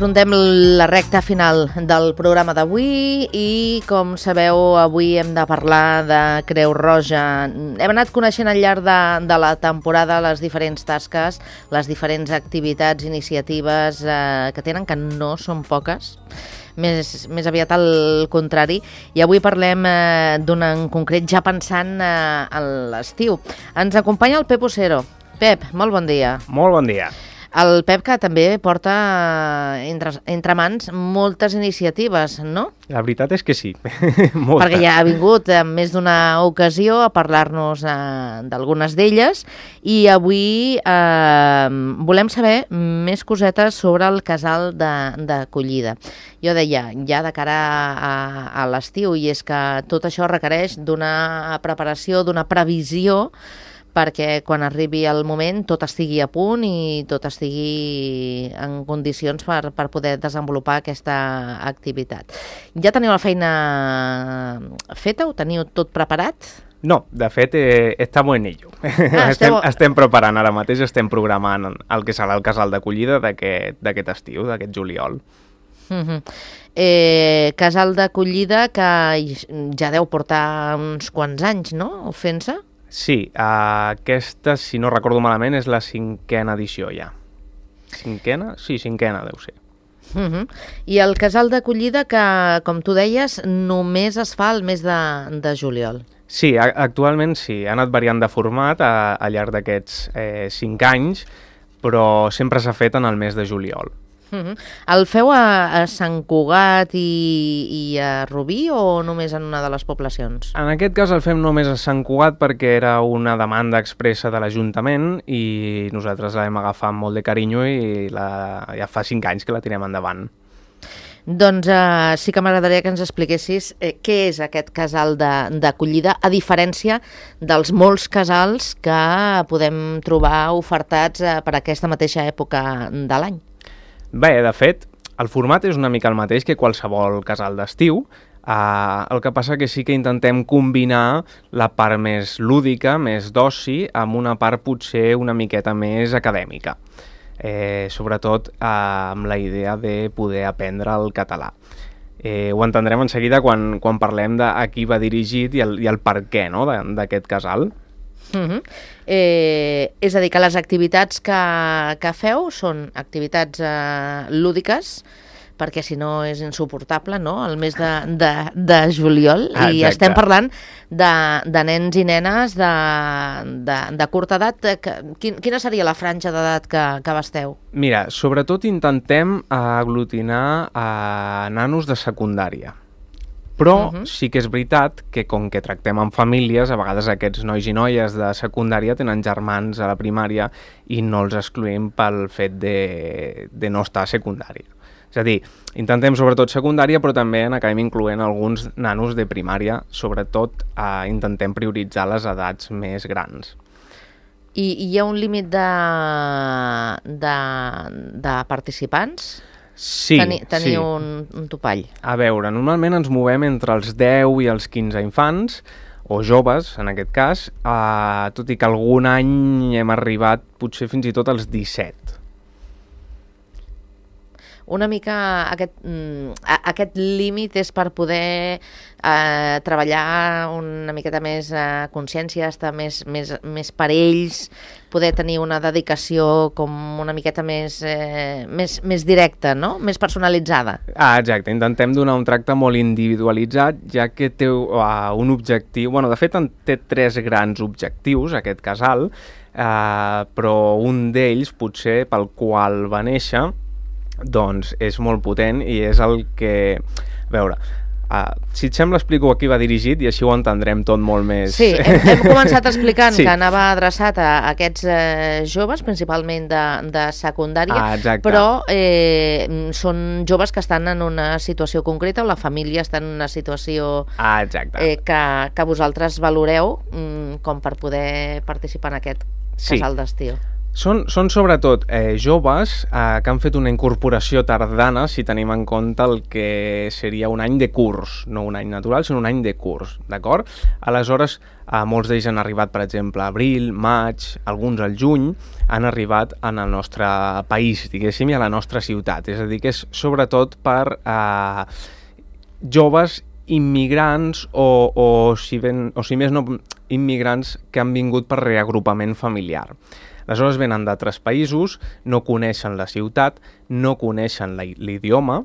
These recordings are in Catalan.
afrontem la recta final del programa d'avui i, com sabeu, avui hem de parlar de Creu Roja. Hem anat coneixent al llarg de la temporada les diferents tasques, les diferents activitats, iniciatives que tenen, que no són poques, més aviat al contrari, i avui parlem d'una en concret ja pensant en l'estiu. Ens acompanya el Pep Ocero. Pep, molt bon dia. Molt bon dia. El Pep, que també porta entre mans moltes iniciatives, no? La veritat és que sí. Perquè ja ha vingut en més d'una ocasió a parlar-nos d'algunes d'elles i avui volem saber més cosetes sobre el casal d'acollida. Jo deia, ja de cara a l'estiu, i és que tot això requereix d'una preparació, d'una previsió, perquè quan arribi el moment tot estigui a punt i tot estigui en condicions per poder desenvolupar aquesta activitat. Ja teniu la feina feta? Ho teniu tot preparat? No, de fet, estamos en ello. Estem preparant ara mateix, estem programant el que serà el casal d'acollida d'aquest estiu, d'aquest juliol. Casal d'acollida que ja deu portar uns quants anys, no?, fent-se? Sí, aquesta, si no recordo malament, és la 5a edició ja. 5a? Sí, 5a deu ser. I el casal d'acollida que, com tu deies, només es fa el mes de juliol. Sí, actualment sí, ha anat variant de format al llarg d'aquests 5 anys, però sempre s'ha fet en el mes de juliol. El feu a Sant Cugat i a Rubí o només en una de les poblacions? En aquest cas el fem només a Sant Cugat perquè era una demanda expressa de l'Ajuntament i nosaltres la vam agafar amb molt de carinyo i ja fa 5 anys que la tirem endavant. Doncs sí que m'agradaria que ens expliquessis què és aquest casal d'acollida, a diferència dels molts casals que podem trobar ofertats per aquesta mateixa època de l'any. Bé, de fet, el format és una mica el mateix que qualsevol casal d'estiu. El que passa que sí que intentem combinar la part més lúdica, més d'oci, amb una part potser una miqueta més acadèmica. Sobretot amb la idea de poder aprendre el català. Ho entendrem en seguida quan parlem de a qui va dirigit i el per què, no?, d'aquest casal. És a dir, que les activitats que feu són activitats lúdiques, perquè si no és insuportable, no?, el mes de juliol. I estem parlant de nens i nenes de curta edat. Quina seria la franja d'edat que abasteu? Mira, sobretot intentem aglutinar nanos de secundària. Però sí que és veritat que com que tractem amb famílies, a vegades aquests nois i noies de secundària tenen germans a la primària i no els excloem pel fet de no estar a secundària. És a dir, intentem sobretot secundària, però també acabem incloent alguns nanos de primària, sobretot intentem prioritzar les edats més grans. I hi ha un límit de participants? Sí, Teniu un topall. A veure, normalment ens movem entre els 10 i els 15 infants, o joves, en aquest cas, tot i que algun any hem arribat potser fins i tot als 17. Una mica aquest límit és per poder treballar una miqueta més consciència, estar més per ells, poder tenir una dedicació com una miqueta més directa, no?, més personalitzada. Exacte, intentem donar un tracte molt individualitzat, ja que té un objectiu... Bueno, de fet, té 3 grans objectius, aquest casal, però un d'ells, potser pel qual va néixer, doncs és molt potent i és el que... A veure, si et sembla explico a qui va dirigit i així ho entendrem tot molt més... Sí, hem començat explicant que anava adreçat a aquests joves, principalment de secundària, però són joves que estan en una situació concreta o la família està en una situació que vosaltres valoreu com per poder participar en aquest casal d'estiu. Són sobretot joves que han fet una incorporació tardana, si tenim en compte el que seria un any de curs, no un any natural, sinó un any de curs, d'acord? Aleshores, molts d'ells han arribat, per exemple, a abril, maig, alguns al juny, han arribat en el nostre país, diguéssim, i a la nostra ciutat. És a dir, que és sobretot per joves immigrants o si més no, immigrants que han vingut per reagrupament familiar. Aleshores venen d'altres països, no coneixen la ciutat, no coneixen l'idioma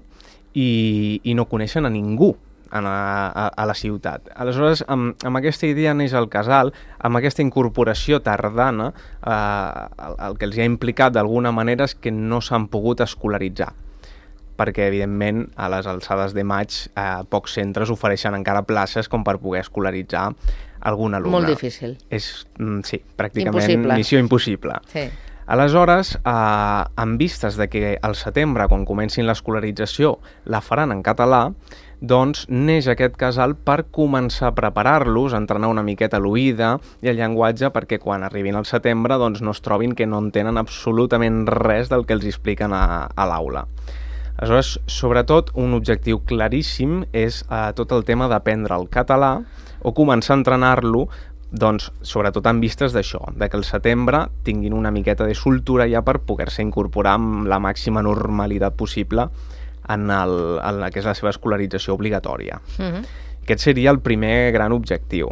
i no coneixen a ningú a la ciutat. Aleshores, amb aquesta idea neix el casal, amb aquesta incorporació tardana, el que els ha implicat d'alguna manera és que no s'han pogut escolaritzar, perquè, evidentment, a les alçades de maig pocs centres ofereixen encara places com per poder escolaritzar algun alumne. Molt difícil. Sí, pràcticament missió impossible. Sí. Aleshores, en vistes de que al setembre, quan comencin l'escolarització, la faran en català, doncs neix aquest casal per començar a preparar-los, a entrenar una miqueta l'oïda i el llenguatge perquè quan arribin al setembre doncs no es trobin que no entenen absolutament res del que els expliquen a l'aula. Aleshores, sobretot, un objectiu claríssim és tot el tema d'aprendre el català o començar a entrenar-lo, doncs, sobretot en vistes d'això, de que al setembre tinguin una miqueta de soltura ja per poder-se incorporar amb la màxima normalitat possible en la que és la seva escolarització obligatòria. Aquest seria el primer gran objectiu.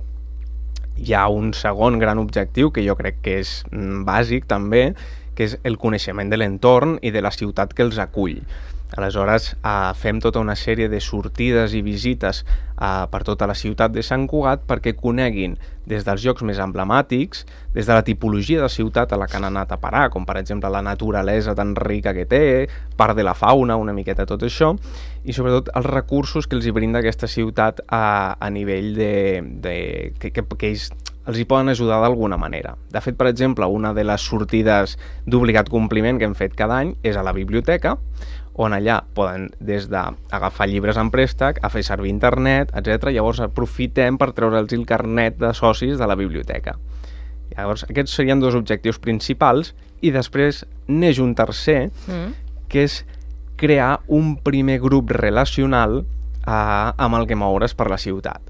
Hi ha un segon gran objectiu que jo crec que és bàsic també, que és el coneixement de l'entorn i de la ciutat que els acull. Aleshores, fem tota una sèrie de sortides i visites per tota la ciutat de Sant Cugat perquè coneguin des dels llocs més emblemàtics, des de la tipologia de ciutat a la que han anat a parar, com per exemple la naturalesa tan rica que té, part de la fauna, una miqueta tot això, i sobretot els recursos que els hi brinda aquesta ciutat a nivell que ells els hi poden ajudar d'alguna manera. De fet, per exemple, una de les sortides d'obligat compliment que hem fet cada any és a la biblioteca, on allà poden des d'agafar llibres en préstec, a fer servir internet, etc. Llavors aprofitem per treure'ls el carnet de socis de la biblioteca. Llavors aquests serien dos objectius principals i després neix un tercer, que és crear un primer grup relacional amb el que moure's per la ciutat.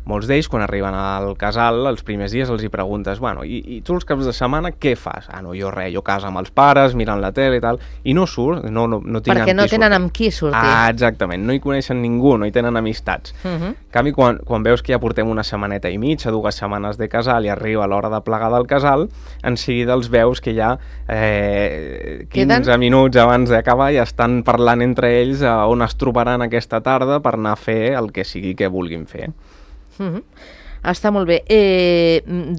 Molts d'ells, quan arriben al casal, els primers dies els hi preguntes, bueno, i tu els caps de setmana què fas? No, jo res, jo casa amb els pares, mirant la tele i tal, i no surt, no tinc perquè no tenen amb qui sortir. Exactament, no hi coneixen ningú, no hi tenen amistats. En canvi, quan veus que ja portem una setmaneta i mitja, 2 setmanes de casal i arriba l'hora de plegar del casal, en seguida els veus que ja 15 minuts abans d'acabar ja estan parlant entre ells on es trobaran aquesta tarda per anar a fer el que sigui que vulguin fer. Està molt bé.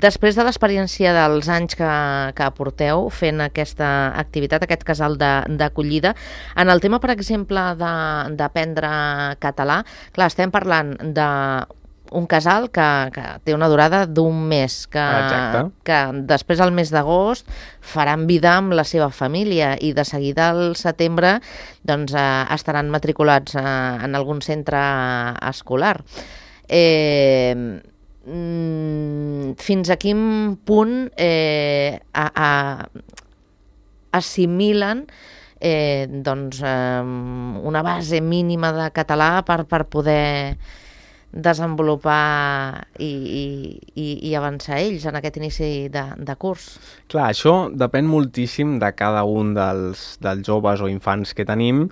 Després de l'experiència dels anys que porteu fent aquesta activitat, aquest casal d'acollida, en el tema, per exemple, d'aprendre català, clar, estem parlant d'un casal que té una durada d'un mes, que després al mes d'agost faran vida amb la seva família i de seguida al setembre doncs, estaran matriculats en algun centre escolar. Fins a quin punt assimilen una base mínima de català per poder desenvolupar i avançar ells en aquest inici de curs? Clar, això depèn moltíssim de cada un dels joves o infants que tenim.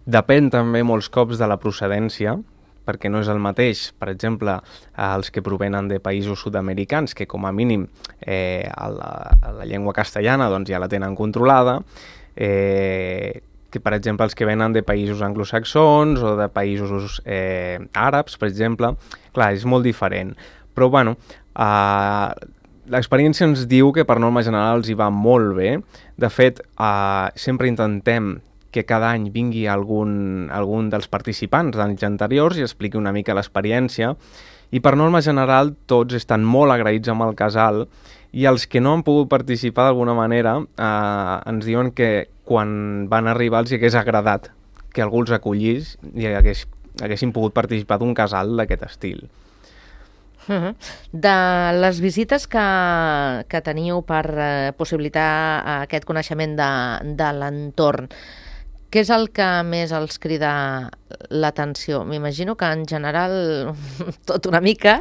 Depèn també molts cops de la procedència, perquè no és el mateix, per exemple, els que provenen de països sud-americans, que com a mínim la llengua castellana doncs, ja la tenen controlada, que per exemple els que venen de països anglosaxons o de països àrabs, per exemple, clar, és molt diferent. Però bueno, l'experiència ens diu que per norma general els hi va molt bé. De fet, sempre intentem que cada any vingui algun dels participants d'anys anteriors i expliqui una mica l'experiència, i per norma general tots estan molt agraïts amb el casal, i els que no han pogut participar d'alguna manera ens diuen que quan van arribar els hagués agradat que algú els acollís i haguessin pogut participar d'un casal d'aquest estil. De les visites que teniu per possibilitar aquest coneixement de l'entorn, què és el que més els crida l'atenció? M'imagino que en general tot una mica,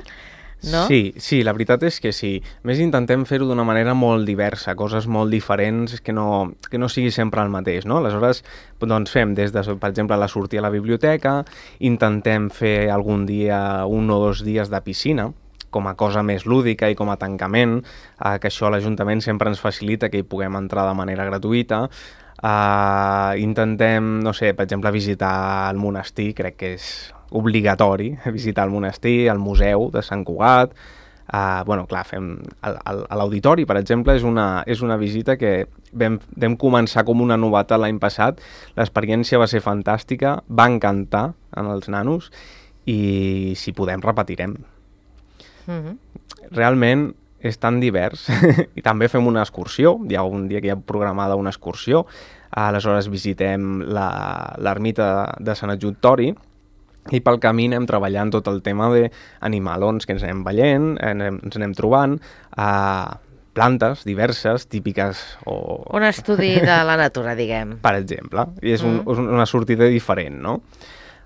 no? Sí, la veritat és que sí. Més intentem fer-ho d'una manera molt diversa, coses molt diferents, que no sigui sempre el mateix, no? Aleshores, doncs fem des de, per exemple, la sortida a la biblioteca, intentem fer algun dia 1 o 2 dies de piscina, com a cosa més lúdica i com a tancament, que això l'Ajuntament sempre ens facilita que hi puguem entrar de manera gratuïta. Intentem, no sé, per exemple, visitar el monestir, crec que és obligatori visitar el monestir, el museu de Sant Cugat. Bueno, clar, fem a l'auditori, per exemple, és una visita que vam començar com una novetat l'any passat. L'experiència va ser fantàstica, va encantar als nanos i si podem repetirem. Realment és tan divers i també fem una excursió, hi ha un dia que hi ha programada una excursió, aleshores visitem l'ermita de Sant Adjuctori i pel camí anem treballant tot el tema d'animalons que ens anem veient, ens anem trobant, plantes diverses, típiques Un estudi de la natura, diguem. Per exemple, i és una sortida diferent, no?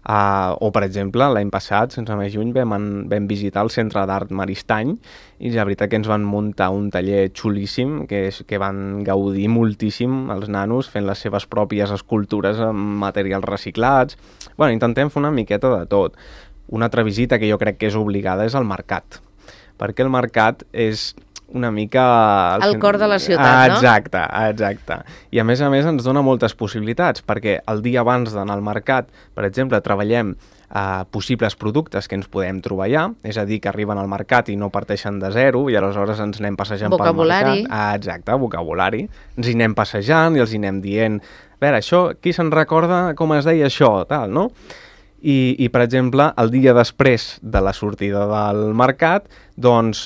O, per exemple, l'any passat, sense més lluny, vam visitar el Centre d'Art Maristany i la veritat que ens van muntar un taller xulíssim que van gaudir moltíssim els nanos fent les seves pròpies escultures amb materials reciclats. Bueno, intentem fer una miqueta de tot. Una altra visita que jo crec que és obligada és al mercat, perquè el mercat és una mica... El cor de la ciutat, no? Exacte. I a més ens dona moltes possibilitats, perquè el dia abans d'anar al mercat, per exemple, treballem possibles productes que ens podem trobar allà, és a dir, que arriben al mercat i no parteixen de zero, i aleshores ens anem passejant pel mercat. Exacte, vocabulari. Ens hi anem passejant i els hi anem dient, a veure, això, qui se'n recorda com es deia això, tal, no? I, per exemple, el dia després de la sortida del mercat, doncs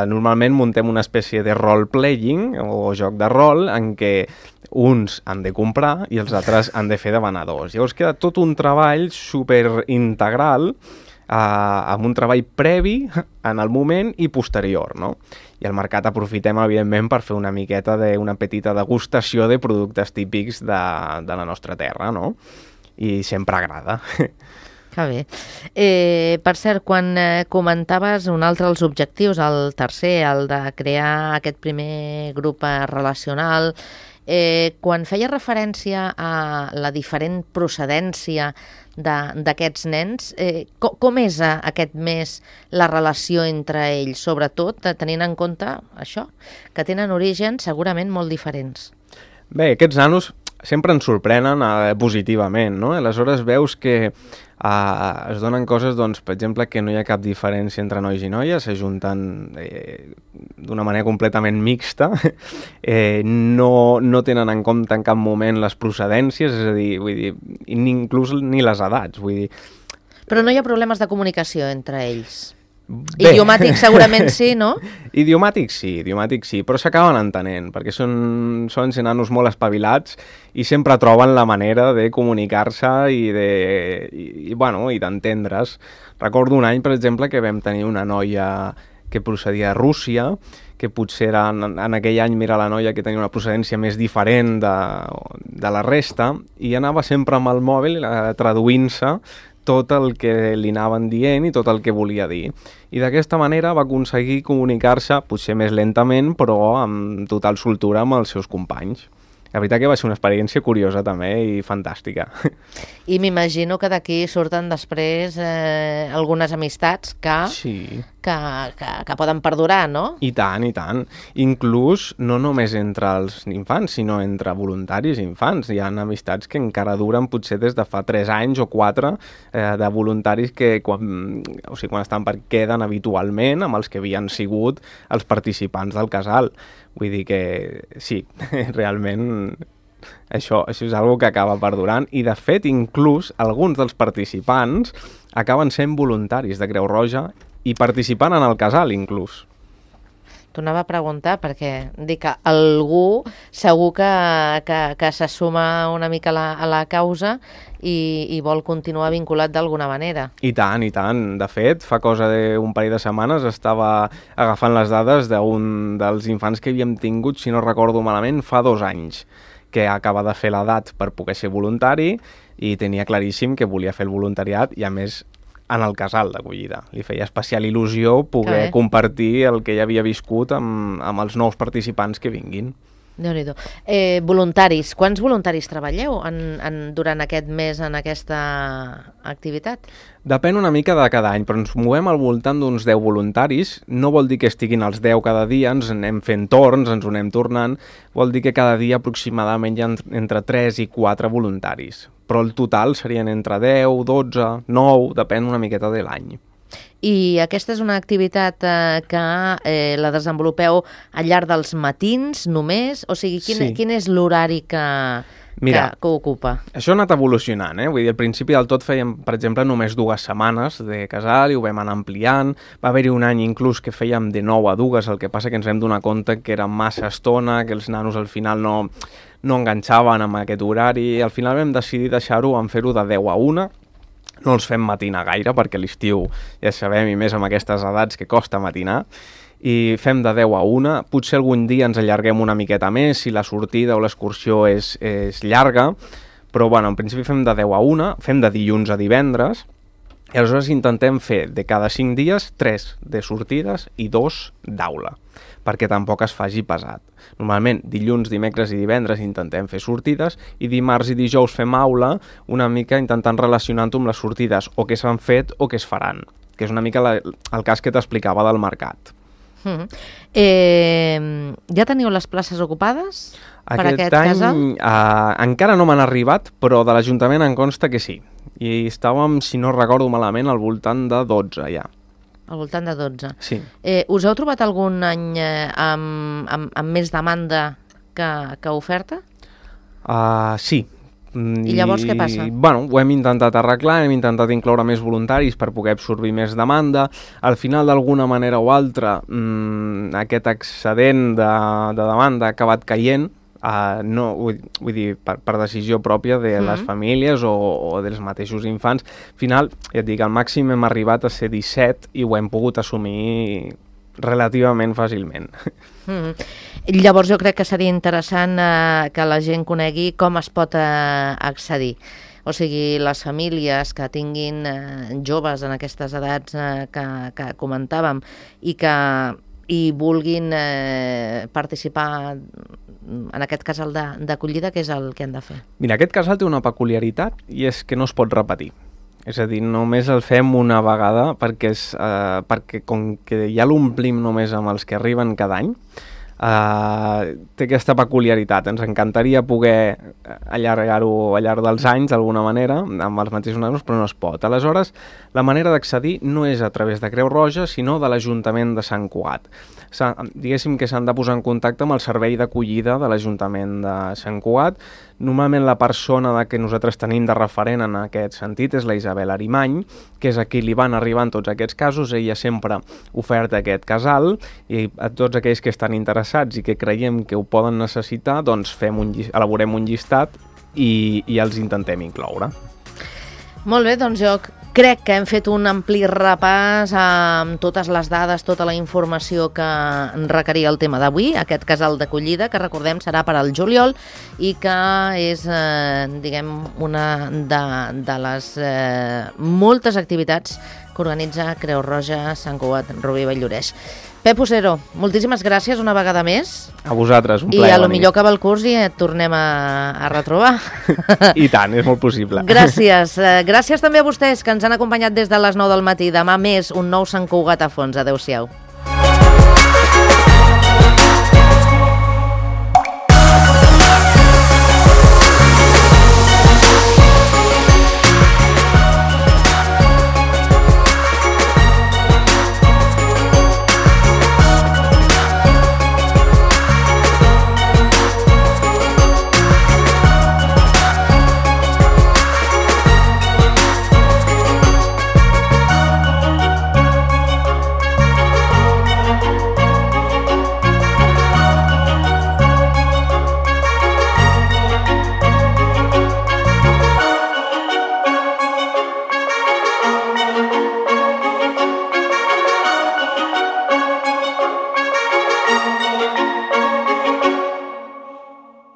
normalment muntem una espècie de role-playing o joc de rol en què uns han de comprar i els altres han de fer de venedors. Llavors queda tot un treball superintegral amb un treball previ en el moment i posterior, no? I al mercat aprofitem, evidentment, per fer una miqueta una petita degustació de productes típics de la nostra terra, no? I sempre agrada. Que bé. Per cert, quan comentaves un altre dels objectius, el tercer, el de crear aquest primer grup relacional, quan feia referència a la diferent procedència d'aquests nens, com és aquest mes la relació entre ells, sobretot tenint en compte això, que tenen orígens segurament molt diferents? Bé, aquests nanos sempre ens sorprenen positivament, no? Aleshores veus que es donen coses, doncs, per exemple, que no hi ha cap diferència entre nois i noies, s'ajunten d'una manera completament mixta, no tenen en compte en cap moment les procedències, és a dir, vull dir, inclús ni les edats, vull dir... Però no hi ha problemes de comunicació entre ells? Bé. Idiomàtics segurament sí, no? Idiomàtics sí, però s'acaben entenent, perquè són nanos molt espavilats i sempre troben la manera de comunicar-se i d'entendre's. Recordo un any, per exemple, que vam tenir una noia que procedia de Rússia, que potser en aquell any era la noia que tenia una procedència més diferent de la resta, i anava sempre amb el mòbil traduint-se tot el que li anaven dient i tot el que volia dir. I d'aquesta manera va aconseguir comunicar-se, potser més lentament, però amb total soltura amb els seus companys. La veritat que va ser una experiència curiosa també i fantàstica. I m'imagino que d'aquí surten després algunes amistats que poden perdurar, no? I tant. Inclús no només entre els infants, sinó entre voluntaris i infants. Hi ha amistats que encara duren potser des de fa 3 anys o 4 de voluntaris que quan estan queden habitualment amb els que havien sigut els participants del casal. Vull dir que sí, realment això és una que acaba perdurant i, de fet, inclús alguns dels participants acaben sent voluntaris de Creu Roja i participant en el casal, inclús. T'ho anava a preguntar perquè dic que algú segur que se suma una mica a la causa i vol continuar vinculat d'alguna manera. I tant, i tant. De fet, fa cosa d'un parell de setmanes estava agafant les dades d'un dels infants que havíem tingut, si no recordo malament, fa 2 anys, que acaba de fer l'edat per poder ser voluntari i tenia claríssim que volia fer el voluntariat i, a més, en el casal d'acollida. Li feia especial il·lusió poder compartir el que ja havia viscut amb els nous participants que vinguin. Déu-n'hi-do. Voluntaris. Quants voluntaris treballeu durant aquest mes en aquesta activitat? Depèn una mica de cada any, però ens movem al voltant d'uns 10 voluntaris. No vol dir que estiguin els 10 cada dia, ens anem fent torns, ens ho anem tornant. Vol dir que cada dia aproximadament hi ha entre 3 i 4 voluntaris. Però el total serien entre 10, 12, 9, depèn una miqueta de l'any. I aquesta és una activitat que la desenvolupeu al llarg dels matins només? O sigui, quin és l'horari que ocupa? Això ha anat evolucionant, Vull dir, al principi del tot fèiem, per exemple, només 2 setmanes de casal i ho vam anar ampliant. Va haver-hi un any inclús que fèiem de 9 a 2, el que passa que ens vam donar compte que era massa estona, que els nanos al final no enganxaven amb aquest horari. Al final vam decidir deixar-ho, fer-ho de 10 a 1. No els fem matinar gaire, perquè a l'estiu ja sabem, i més amb aquestes edats, que costa matinar. I fem de 10 a 1. Potser algun dia ens allarguem una miqueta més, si la sortida o l'excursió és llarga, però en principi fem de 10 a 1, fem de dilluns a divendres, i aleshores intentem fer de cada 5 dies 3 de sortides i 2 d'aula, perquè tampoc es faci pesat. Normalment dilluns, dimecres i divendres intentem fer sortides i dimarts i dijous fem aula, una mica intentant relacionar-ho amb les sortides o que s'han fet o que es faran, que és una mica el cas que t'explicava del mercat. Ja teniu les places ocupades per aquest casal? Aquest any encara no m'han arribat, però de l'Ajuntament em consta que sí. I estàvem, si no recordo malament, al voltant de 12 ja. Al voltant de 12. Sí. Us heu trobat algun any amb més demanda que oferta? Sí. I llavors què passa? Ho hem intentat arreglar, hem intentat incloure més voluntaris per poder absorbir més demanda. Al final, d'alguna manera o altra, aquest excedent de demanda ha acabat caient, vull dir, per decisió pròpia de les famílies o dels mateixos infants. Al final, ja et dic, al màxim hem arribat a ser 17 i ho hem pogut assumir relativament fàcilment. Llavors jo crec que seria interessant que la gent conegui com es pot accedir. O sigui, les famílies que tinguin joves en aquestes edats que comentàvem i vulguin participar en aquest casal d'acollida, què és el que han de fer? Mira, aquest casal té una peculiaritat i és que no es pot repetir. És a dir, només el fem una vegada perquè com que ja l'omplim només amb els que arriben cada any, té aquesta peculiaritat. Ens encantaria poder allargar-ho al llarg dels anys d'alguna manera, amb els mateixos nanos, però no es pot. Aleshores, la manera d'accedir no és a través de Creu Roja, sinó de l'Ajuntament de Sant Cugat. Diguéssim que s'han de posar en contacte amb el servei d'acollida de l'Ajuntament de Sant Cugat. Normalment la persona que nosaltres tenim de referent en aquest sentit és la Isabel Arimany, que és a qui li van arribant tots aquests casos. Ella sempre oferta aquest casal i a tots aquells que estan interessats i que creiem que ho poden necessitar, doncs elaborem un llistat i els intentem incloure. Molt bé, doncs jo crec que hem fet un ampli repàs amb totes les dades, tota la informació que requeria el tema d'avui, aquest casal d'acollida, que recordem serà per al juliol i que és, diguem, una de les moltes activitats que organitza Creu Roja Sant Cugat Rubí Vall-lloreix. Pep Ocero, moltíssimes gràcies una vegada més. A vosaltres, un plaer. I a lo millor acaba el curs i et tornem a retrobar. I tant, és molt possible. Gràcies. Gràcies també a vostès que ens han acompanyat des de les 9 del matí. Demà més un nou Sant Cugat a fons. Adéu-siau.